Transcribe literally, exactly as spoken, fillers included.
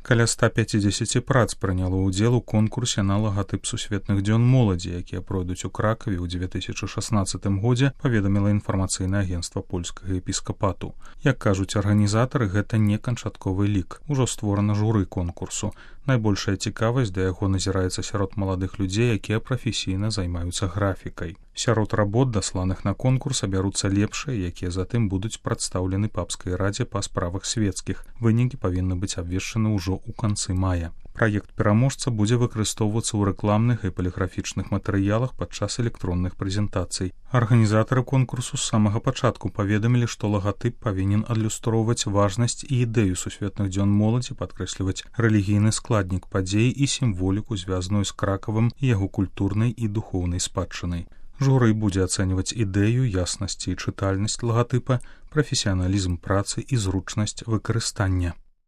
Каля ста пяцідзесяці прац прыняло ўдзел у конкурсе на лагатып сусветных дзён моладзі, якія пройдуць у Кракаве ў дзве тысячы шаснаццатым годзе, паведаміла інфармацыйнае агенцтва польскага епіскапату. Як кажуць арганізатары, гэта не канчатковы лік. Ужо створана журы конкурсу. Найбольшая цікавасць да яго назіраецца сярод маладых людзей, якія прафесійна займаюцца графікай. Сярод работ, дасланых на конкурс, абяруцца лепшыя, якія затым будуць прадстаўлены папскай радзе па справах свецкіх. Вынікі павінны быць абвешчаны ўжо ў канцы мая. Праект пераможца будзе выкарыстоўвацца ў рэкламных і паліграфічных матэрыялах падчас электронных прэзентацый. Арганізатары конкурсу з самага пачатку паведамілі, што лагатып павінен адлюстроўваць важнасць і ідэю сусветных дзён моладзі, падкрэсліваць рэлігійны складнік падзей і сімволіку, звязаную з Кракавам і яго культурнай і духоўнай спадчынай. Журы будзе ацэньваць ідэю, яснасць і чытальнасць лагатыпа, прафесіяналізм працы і зручнасць выкарыстання.